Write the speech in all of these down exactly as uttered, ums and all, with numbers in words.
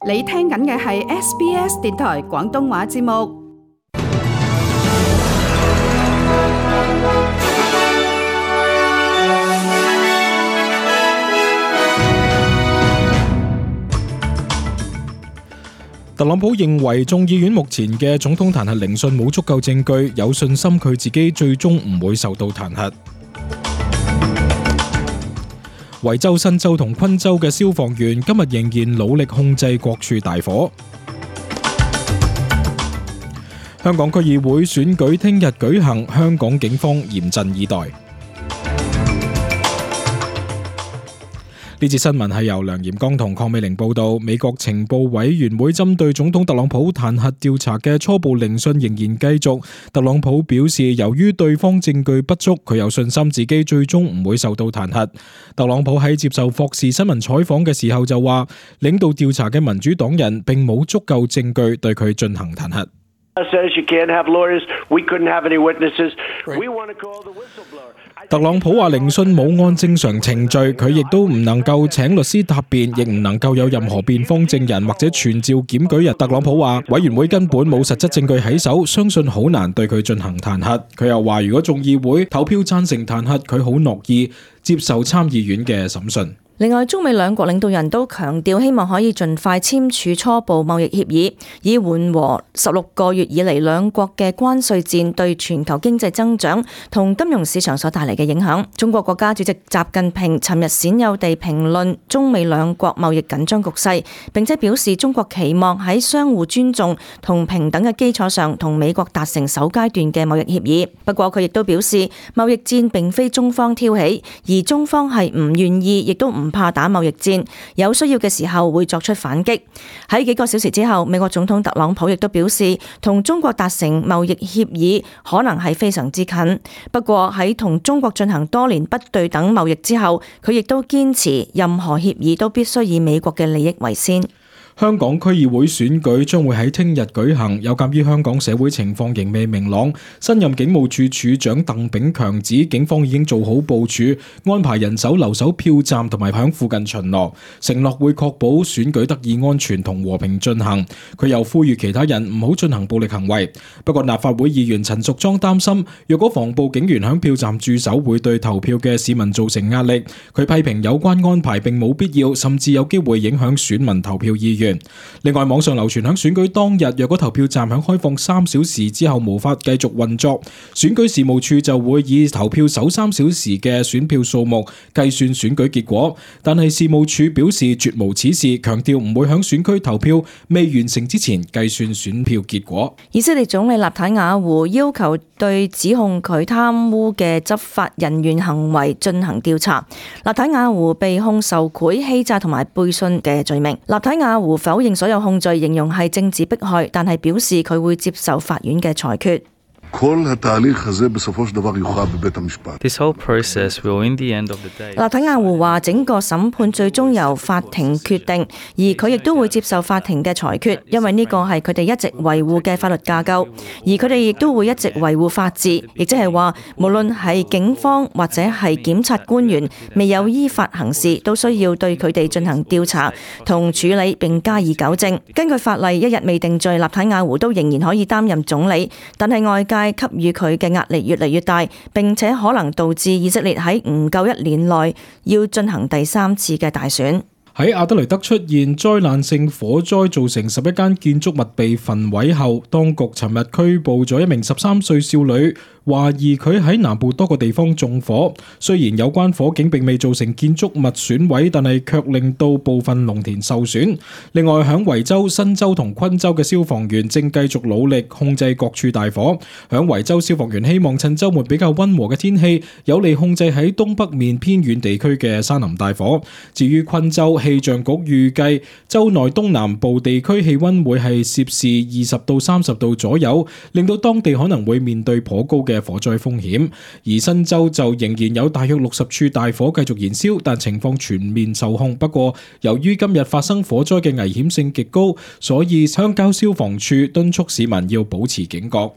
你聽緊嘅係 S B S 電台廣東話節目。特朗普認為眾議院目前嘅總統彈劾聆訊冇足夠證據，有信心佢自己最終唔會受到彈劾。維州、新州同昆州嘅消防員今日仍然努力控制各處大火。香港區議會選舉聽日舉行，香港警方嚴陣以待。呢節新聞係由梁炎剛同鄺美玲報道。美國情報委員會針對總統特朗普彈劾調查嘅初步聆訊仍然繼續。特朗普表示，由於對方證據不足，佢有信心自己最終唔會受到彈劾。特朗普喺接受霍士新聞採訪嘅時候就話，領導調查嘅民主黨人並冇足夠證據對佢進行彈劾。特朗普話聆訊冇按正常程序，佢亦都唔能夠請律師答辯，亦唔能夠有任何辯方證人或者傳召檢舉人。特朗普話委員會根本冇實質證據喺手，相信好難對佢進行彈劾。佢又話如果眾議會投票贊成彈劾，佢好樂意接受參議院嘅審訊。另外，中美兩國領導人都強調希望可以盡快簽署初步貿易協議，以緩和十六個月以嚟兩國嘅關稅戰對全球經濟增長同金融市場所帶嚟嘅影響。中國國家主席習近平尋日鮮有地評論中美兩國貿易緊張局勢，並且表示中國期望喺相互尊重同平等嘅基礎上同美國達成首階段嘅貿易協議。不過佢亦都表示，貿易戰並非中方挑起，而中方係唔願意，亦都唔唔怕打貿易戰，有需要嘅時候會作出反擊。喺幾個小時之後，美國總統特朗普亦都表示，同中國達成貿易協議可能係非常之近。不過喺同中國進行多年不對等貿易之後，佢亦都堅持任何協議都必須以美國嘅利益為先。香港區議會選舉將會喺聽日舉行，有鑑於香港社會情況仍未明朗，新任警務處處長鄧炳強指警方已經做好部署，安排人手留守票站同埋響附近巡邏，承諾會確保選舉得以安全同和平進行。佢又呼籲其他人唔好進行暴力行為。不過立法會議員陳淑莊擔心，若果防暴警員響票站駐守會對投票嘅市民造成壓力。佢批評有關安排並冇必要，甚至有機會影響選民投票意願。另外，網上流傳響選舉當日，若果投票站響開放三小時之後無法繼續運作，選舉事務處就會以投票首三小時嘅選票數目計算選舉結果。但係事務處表示絕無此事，強調唔會響選區投票未完成之前計算選票結果。以色列總理納坦雅胡要求對指控佢貪污嘅執法人員行為進行調查。納坦雅胡被控受賄、欺詐同埋背信嘅罪名。納坦雅胡否認所有控罪，形容係政治迫害，但係表示佢會接受法院嘅裁決。This whole process will, in the end of the day. 納坦雅胡話整個審判最終由法庭決定，而佢亦都會接受法庭嘅裁決，因為呢個係佢哋一直維護嘅法律架構，而佢哋亦都會一直維護法治，亦即係話無論係警方或者係檢察官員未有依法行事，都需要對佢哋進行調查同處理並加以糾正。根據法例，一日未定罪，納坦雅胡都仍然可以擔任總理，但係外界給予佢嘅壓力越嚟越大，並且可能導致以色列喺唔夠一年內要進行第三次嘅大選。喺阿德雷德出現災難性火災，造成十一間建築物被焚毀後，當局尋日拘捕咗一名十三歲少女，懷疑佢喺南部多個地方縱火。雖然有關火警並未造成建築物損毀，但係卻令到部分農田受損。另外，響維州、新州同昆州嘅消防員正繼續努力控制各處大火。響維州，消防員希望趁週末比較溫和嘅天氣，有利控制喺東北面偏遠地區嘅山林大火。至於昆州，氣象局預計州內東南部地區氣溫會係攝氏二十到三十度左右，令到當地可能會面對頗高嘅火災風險。而新州就仍然有大約六十處大火繼續燃燒，但情況全面受控。不過由於今日發生火災嘅危險性極高，所以鄉郊消防處敦促市民要保持警覺。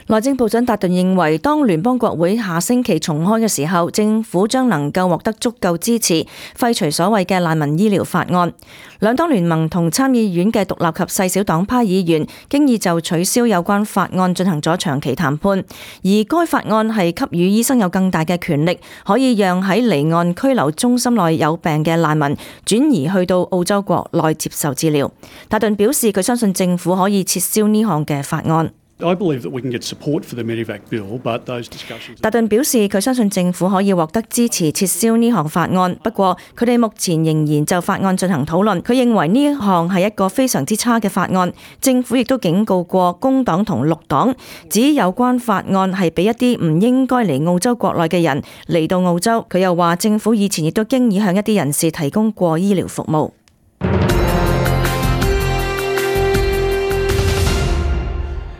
內政部長達頓認為，當聯邦國會下星期重開嘅時候，政府將能夠獲得足夠支持，廢除所謂嘅難民醫療法案。兩黨聯盟同參議院嘅獨立及細小黨派議員經已就取消有關法案進行咗長期談判，而該法案係給予醫生有更大嘅權力，可以讓喺離岸拘留中心內有病嘅難民轉移去到澳洲國內接受治療。達頓表示，佢相信政府可以撤銷呢項嘅法案。I believe that we can get support for the Medevac bill, but those discussions... 達頓表示，佢相信政府可以獲得支持撤銷呢項法案，不過佢哋目前仍然就法案進行討論。佢認為呢一項係一個非常之差嘅法案。政府亦都警告過工黨同綠黨，指有關法案係俾一啲唔應該嚟澳洲國內嘅人嚟到澳洲。佢又話，政府以前亦都經已向一啲人士提供過醫療服務。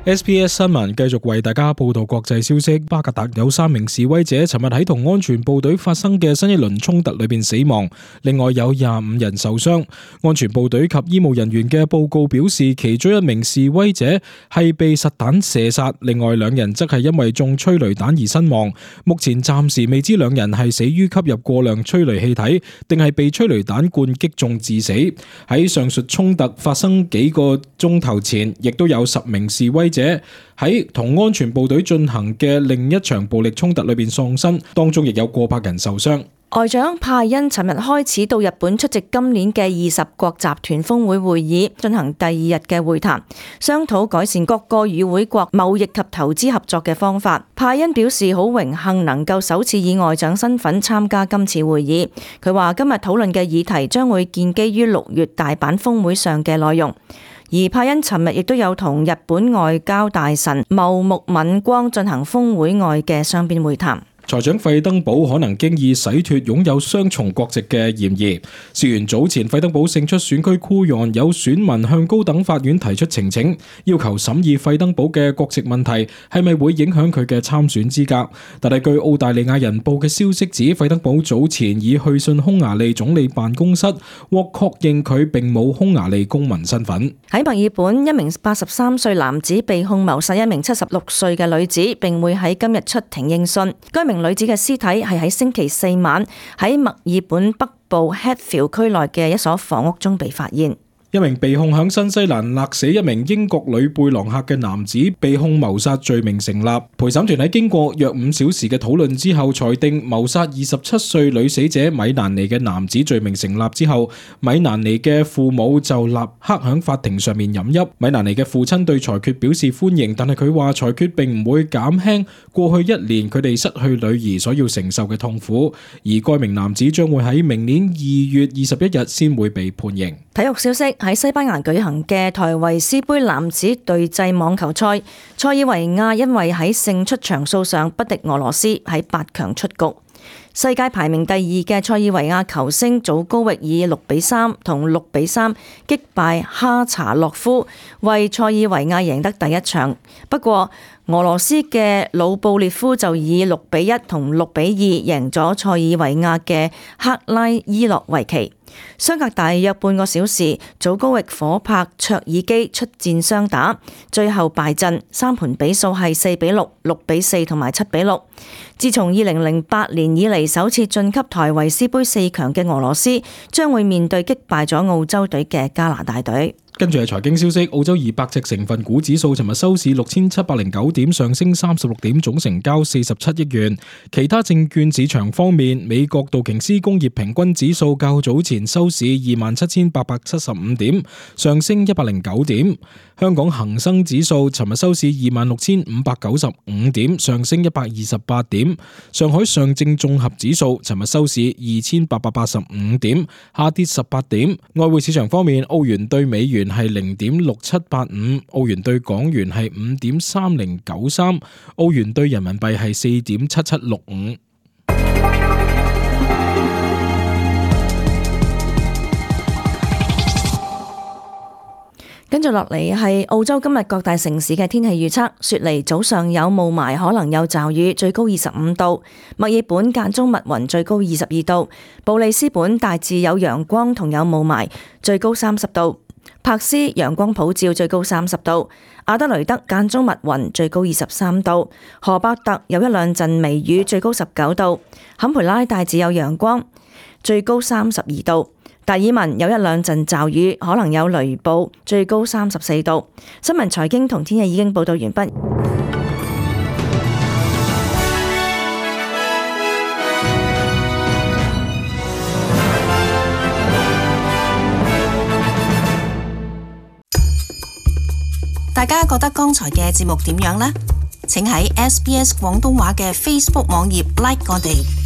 S B S 新聞繼續為大家報道國際消息。巴格達有三名示威者尋日喺同安全部隊發生嘅新一輪衝突裏邊死亡，另外有廿五人受傷。安全部隊及醫務人員嘅報告表示，其中一名示威者係被實彈射殺，另外兩人則係因為中催淚彈而身亡。目前暫時未知兩人係死於吸入過量催淚氣體，定係被催淚彈罐擊中致死。喺上述衝突發生幾個鐘頭前，亦都有十名示威者喺同安全部隊進行嘅另一場暴力衝突裏邊喪生，當中亦有過百人受傷。外長派恩尋日開始到日本出席今年嘅二十國集團峰會會議，進行第二日嘅會談，商討改善各個與會國貿易及投資合作嘅方法。派恩表示好榮幸能夠首次以外長身份參加今次會議。佢話今日討論嘅議題將會建基於六月大阪峰會上嘅內容。而派恩尋日亦都有同日本外交大臣茂木敏光進行峰會外嘅雙邊會談。財長費登堡可能經已洗脫擁有雙重國籍嘅嫌疑。事緣早前費登堡勝出選區酷案，有選民向高等法院提出呈請，要求審議費登堡嘅國籍問題係咪會影響佢嘅參選資格。但係據澳大利亞人報嘅消息指，費登堡早前已去信匈牙利總理辦公室，獲確認佢並冇匈牙利公民身份。喺墨爾本，一名八十三歲男子被控謀殺一名七十六歲嘅女子，並會喺今日出庭應訊。該名女子嘅屍體係喺星期四晚喺墨爾本北部 Hatfield 區內嘅一所房屋中被發現。一名被控響新西蘭勒死一名英國女背囊客嘅男子被控謀殺罪名成立。陪審團喺經過約五小時嘅討論之後，裁定謀殺二十七歲女死者米蘭尼嘅男子罪名成立之後，米蘭尼嘅父母就立刻響法庭上面飲泣。米蘭尼嘅父親對裁決表示歡迎，但係佢話裁決並唔會減輕過去一年佢哋失去女兒所要承受嘅痛苦，而該名男子將會喺明年二月二十一日先會被判刑。體育消息，喺西班牙舉行嘅台維斯杯男子對制網球賽，塞爾維亞因為喺勝出場數上不敵俄羅斯，喺八強出局。世界排名第二嘅塞爾維亞球星祖高域以六比三同六比三擊敗哈查洛夫，為塞爾維亞贏得第一場。不過俄羅斯嘅魯布列夫就以六比一同六比二贏咗塞爾維亞嘅克拉伊諾維奇。相隔大約半個小時，祖高域夥拍卓爾基出戰雙打，最後敗陣，三盤比數係四比六、六比四同埋七比六。自從二零零八年以嚟首次晉級台維斯杯四強嘅俄羅斯，將會面對擊敗咗澳洲隊嘅加拿大隊。跟住係財經消息，澳洲二百隻成分股指數尋日收市六千七百零九點，上升三十六點，總成交四十七億元。其他證券市場方面，美國道瓊斯工業平均指數較早前收市二萬七千八百七十五點，上升一百零九點。香港恒生指數尋日收市二萬六千五百九十五點，上升一百二十八點。上海上證綜合指數尋日收市二千八百八十五點，下跌十八點。外匯市場方面，澳元對美元係零點六七八五，澳元對港元係五點三零九三，澳元對人民幣係四點七七六五。跟住落嚟係澳洲今日各大城市嘅天氣預測。雪梨早上有霧霾，可能有驟雨，最高二十五度。墨爾本間中密雲，最高二十二度。布里斯本大致有陽光同有霧霾，最高三十度。柏斯陽光普照，最高三十度；阿德雷德間中密雲，最高二十三度；荷伯特有一兩陣微雨，最高十九度；坎培拉大致有陽光，最高三十二度；達爾文有一兩陣驟雨，可能有雷暴，最高三十四度。新聞財經同天氣已經報道完畢。大家覺得剛才嘅節目點樣呢？請喺 S B S 廣東話嘅 Facebook 網頁 like 我哋。